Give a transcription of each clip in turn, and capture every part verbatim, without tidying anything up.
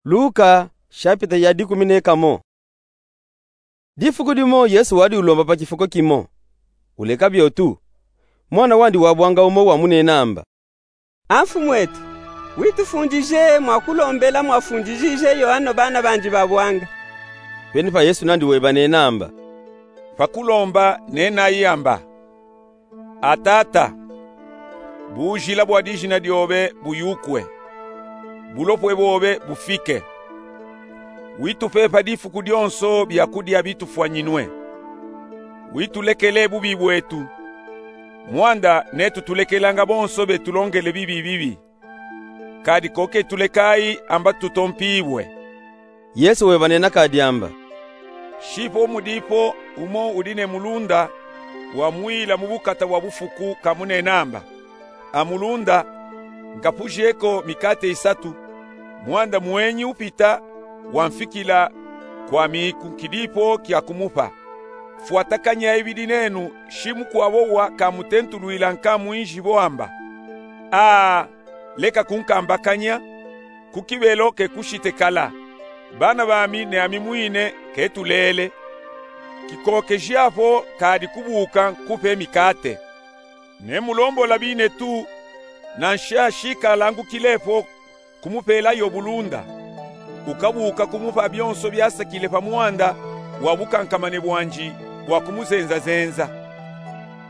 Luka, shapita ya dikumi ne kamo. Difuku dimo Yesu wadi ulomba pa kifuko kimo. Uleka biotu, mwana wandi wabwanga umo wamunenamba: A Mfumu etu, witufundije mwa kulombela mwafundijije yo ano bana bandi babwanga. Pene pa Yesu nandi webanenamba: Pa kulomba nenayi amba: A Tata, bujila bwa dijina diobe buyukwe, bulopwe bobe bufike. Witupe pa difuku dionso biakudia bitufwanyinwe. Witulekele bubi bwetu, mwanda netu tulekelanga bonso betulongele bibi bibi. Kadi ko ketulekayi amba tutompibwe. Yesu webanena kadi amba: Shi po mudipo umo udi ne mulunda wamwila mu bukata bwa bufuku kamunenamba: A mulunda, nkapujeko mikate isatu, mwanda mwenyi upita wamfikila kwami ku nkidipo kia kumupa. Fwatakanya ibidi nenu, shi mukwabo wa kamutentulwila nka mwinjibo amba: A, leka kunkambakanya, ku kibelo kekushite kala, bana bami ne ami mwine ketulele. Kikokeji apo kadi kubuka nkupe mikate. Nemulombola binetu, nansha shi kalangukilepo kumupelayo bulunda, ukabuka kumupa bionso biasakile pa mwanda wa bukankamane bwandi bwa kumuzenzazenza.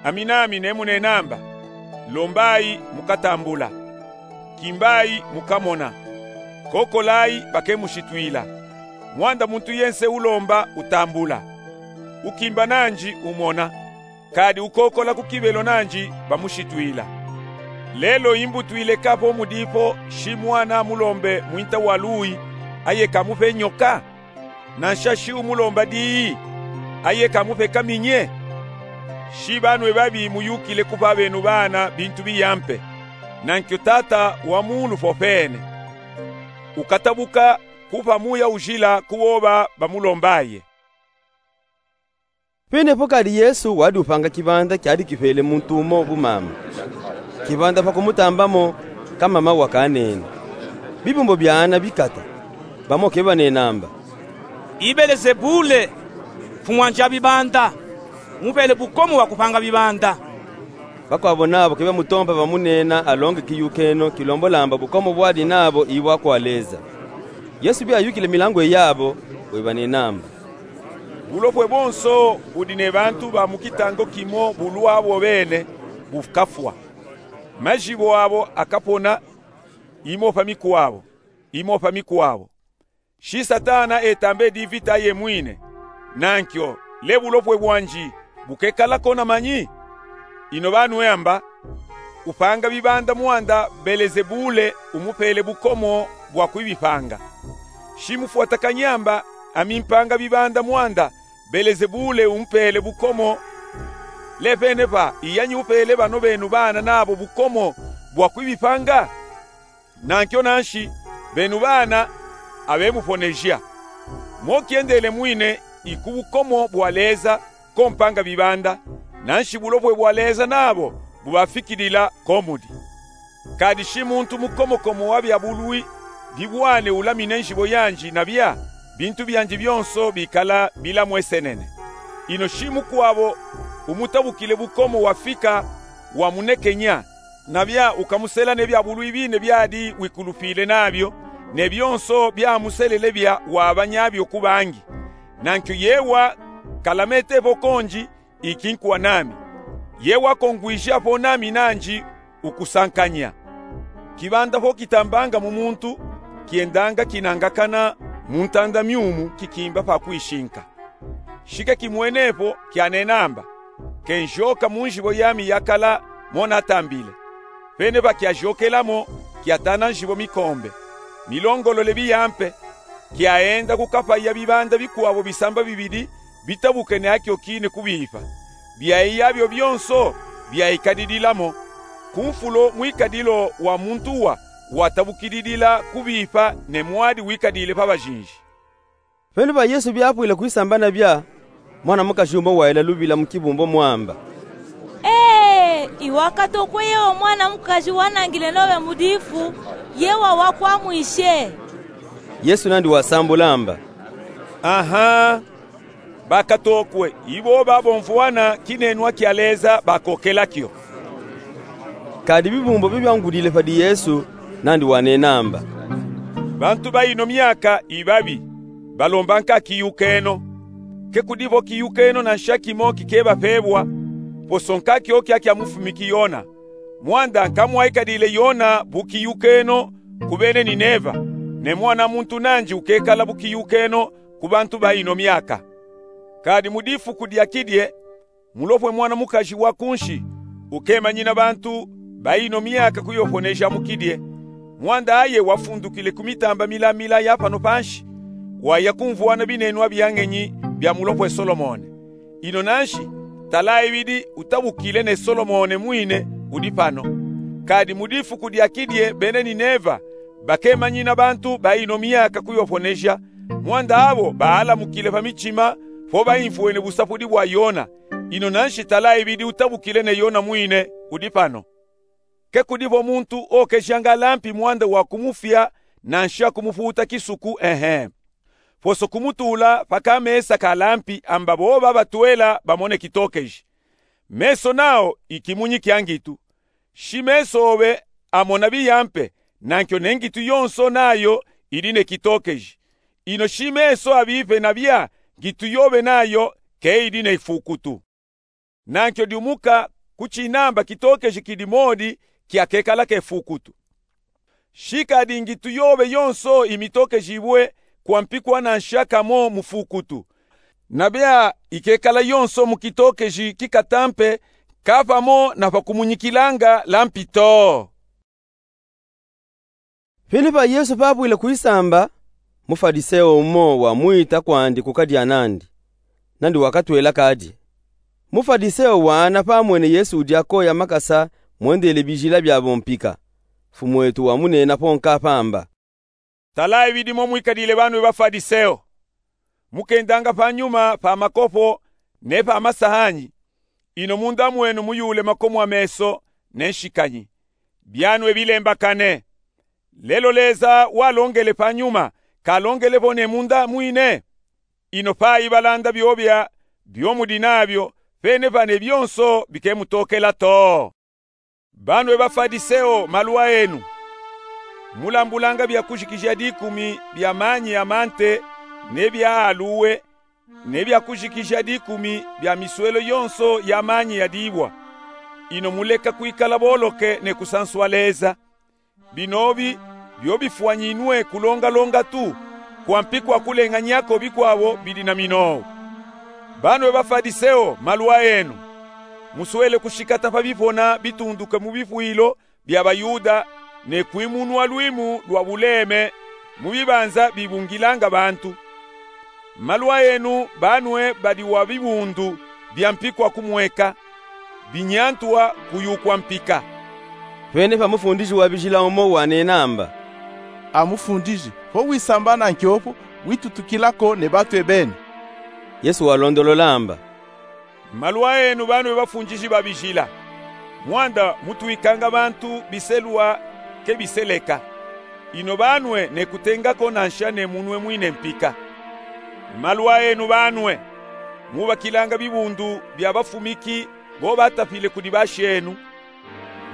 Ami nami nemunenamba: Lombayi, mukatambula; kimbayi, mukamona; kokolayi, bakemushitwila. Mwanda muntu yense ulomba, utambula; ukimba nandi, umona; kadi ukokola ku kibelo nandi, bamushitwila. Lelo imbutwile ka po mudipo shi mwana amulombe mwinta wa luwi, aye kamupe nyoka? Nansha shi umulomba diyi, aye kamupe kaminye? Shi banwe babi muyukile kupa benu bana bintu biyampe, nankyo Tata wa muulu popene ukatabuka kupa Muya Ujila ku boba bamulombaye. Pene po kadi Yesu wadi upanga kibanda kiadi kipele muntu umo bumama. Kibanda pa kumutambamo, kamama wakanene. Bibumbo bia ana bikata, bamo kebanenamba: I Belezebule, mfumu andi a bibanda, umupele bukomo bwa kupanga bibanda. Bakwabo nabo kebamutompa bamunena alonge kiyukeno kilombolamba bukomo bwadi nabo i bwa kwa Leza. Yesu biayukile milangu yabo, webanenamba: Bulopwe bonso budi ne bantu ba mu kitango kimo bulwa bo bene bukafwa. Majibo abo akapona, imo pa mikwabo, imo pa mikwabo. Shi Satana etamba edi vita yemwine, nankyo le bulopwe bwandi bukekala ko na manyi? Ino banwe amba: Upanga bibanda mwanda, Belezebule umupele bukomo bwa kwibipanga. Shi mufwatakanya amba: Ami mpanga bibanda mwanda, Belezebule umpele bukomo, le pene pa iyanyi upele bano benu bana nabo bukomo bwa kwibipanga? Nankyo nanshi, benu bana abemuponeja. Mo kyendele mwine i ku bukomo bwa Leza ko mpanga bibanda, nanshi bulopwe bwa Leza nabo bubafikilila ko mudi. Kadi shi muntu mukomokomo wa bya bulwi bibwane ulamine njibo yandi, na bya bintu byandi byonso bikala bilamwesenene. Ino shi mukwabo umutabukile bukomo wafika wamunekenya, na bya ukamusela ne bya bulwi bine byadi wikulupile nabyo, ne byonso byamuselele bya wabanyabyo ku bangi. Nankyo yewa kalametepo kondi iki nkuwa nami. Yewa kongwijapo nami nandi ukusankanya. Kibanda po kitambanga mu muntu, kyendanga kinangakana mu ntanda myumu kikimba pa kwishinka. Shi ke kimwenepo kyanenamba: Kenjoka mu njibo yami yakala mo natambile. Pene pa kyajokelamo, kyatana njibo mikombe, milongolole biyampe, kyaenda kukapaya bibanda bikwabo bisamba bibidi bitabuke ne akyo kine kubipa. Byaiya byo byonso byaikadidilamo, ku nfulo mwikadilo wa muntu wa watabukididila kubipa ne mwadi wikadile pa bajinji. Pene pa Yesu byapwile kwisamba na bya, mwana mukaji umo waila lubila mu kibumbo mwamba: Ee, iwakatokwe yewa mwana mukaji wanangile nobe mu difu, yewa wakwamwishe. Yesu nandi wasambula amba: Aha, bakatokwe ibo babomvwana kinenwa kia Leza bakokela kio. Kadi bibumbu bibia ngudile padi Yesu nandi wanena amba: Bantu ba ino miaka ibabi balomba nka kiyukeno. Ke kudivo kiyukeno nansha kimo kikebapebwa, poso nka kiokia kia mufumiki Yona. Mwanda nka mwaikadile Yona bu kiyukeno ku bene Nineva, ne Mwana muntu nandi ukekala bu kiyukeno ku bantu ba ino miaka. Kadi mu difuku dia kidie, mulopwe mwana mukaji wa kunsi ukemanyina bantu ba ino miaka kuyoponeja mu kidie, mwanda aye wafundukile ku mitamba milamila ya pano pansi, waya kumvwana binenwa bia ngenyi bia mulopwe Solomone. Ino nansi, tala ibidi utabukile ne Solomone mwine udi pano. Kadi mu difuku dia kidie bene Nineva bakemanyina bantu ba ino miaka kuyoponeja, mwanda abo baalamukile pa mitima po baimvwene busapudi bwa Yona. Ino nansi tala ibidi utabukile ne Yona mwine udi pano. Ke kudivo muntu okejanga lampi mwanda wa kumufya nansha kumuputa kisuku, ehe, poso kumutula pa kamesa ka lampi amba boba batwela bamone kitokeji. Meso nao i kimunyi kia ngitu. Shi meso obe amona biyampe, nankio ne ngitu yonso nayo idi ne kitokeji. Ino shi meso abipe nabia, ngitu yobe nayo ke idi ne ifukutu. Nankio diumuka ku tinamba kitokeji kidi modi kiakekala kefukutu. Shi kadi ngitu yobe yonso imitokejibwe kwa mpikwa nansha kamo mufukutu. Nabia ikekala yonso mu kitokeji kikatampe, ka pamo na pa kumunyikilanga lampi to. Pinipa Yesu papwile kwisamba, Mufadiseo umo wamwita kwandi kukadia nandi, nandi wakatwela kadia. Mufadiseo waana pamwene Yesu udi akoya makasa mwendele bijila biabo mpika, Mfumwetu wamunena po nka pamba: Tala ibidi mo mwikadile banwe Bafadiseo. Mukendanga panyuma pa makopo ne pa masahanyi, ino munda mwenu muyule makomo a meso ne nshikanyi. Bianwe bilembakane. Lelo Leza walongele panyuma, kalongele vo ne munda mwine? Ino payi balanda biobia bio mudi nabio, pene pa ne bionso bikemutokela to. Banwe Bafadiseo, malu aenu! Mulambulanga biakujikija dikumi bia manyi a mante ne bia aluwe, ne biakujikija dikumi bia miswelo yonso ya manyi ya dibwa. Ino muleka kwikala boloke ne kusanswa Leza. Binobi bio bifwanyinwe kulongalonga tu, kwa mpikwa kulenganyako bikwabo bidi na minowo. Banwe Bafadiseo, malu aenu! Muswele kushikata pa bipona bitunduke mu bipwilo bia Bayuda, ne kwimunwa lwimu lwa buleme mu bibanza bibungilanga bantu. Malu aenu, banwe badi wa bibundu bia mpikwa kumweka, binyantwa kuyukwa mpika. Pene pa mufundiji wa bijila umo wanena amba: A Mufundiji, po wisamba nankiopo, witutukilako ne bantu ebeni. Yesu walondolola amba: Malu aenu, banwe bafundiji ba bijila! Mwanda mutwikanga bantu biselwa ke biseleka. Ino banwe ne kutengako nansha ne munwe mwine mpika. Malu aenu, banwe! Mubakilanga bibundu bia bafumiki bo batapile kudi bashenu.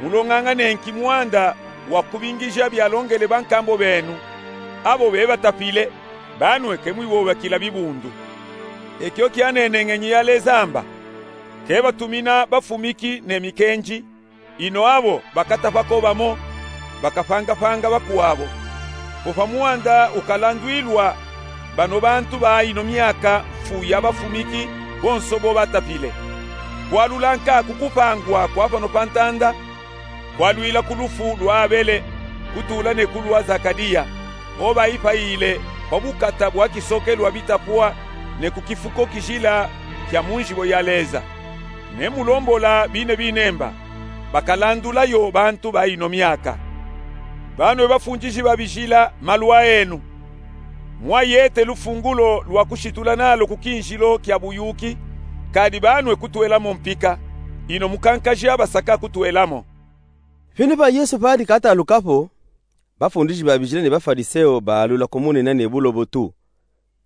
Mulonganga ne nki mwanda wa kubingija bialongele bankambo benu, abo bebatapile, banwe ke mwibobakila bibundu. Ekio kianene ngenyi ya Leza amba: Ke batumina bafumiki ne mikenji, ino abo bakatapako bamo, bakapangapanga bakwabo. Popamwanda ukalandwilwa bano bantu ba ino miaka mfu ya bafumiki bonso bo batapile. Kwalula nka ku kupangwa kwa pano pa ntanda, kwalwila ku lufu lwa Abele, kutula ne ku lwa Zakaria, o baipayile pa bukata bwa kisokelwa bitapwa ne ku kifuko kijila kya mu nzibo ya Leza. Ne mulombola bine binemba, bakalandulayo bantu ba ino miaka. Banwe bafundiji ba bijila, malu aenu! Mwayete lufungulo lwa kushitula nalo ku kinzilo kya buyuki, kadi banwe kutwelamo mpika, ino mukankaja basaka kutwelamo. Pinipa Yesu padi katalukapo, Bafundisi babijila ne Bafaliseo baalula kumunina ne bulobotu.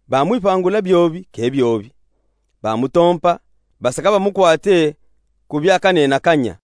Bamwipangula biobi ke biobi. Bamutompa, basaka bamukwate ku bia kanenakanya.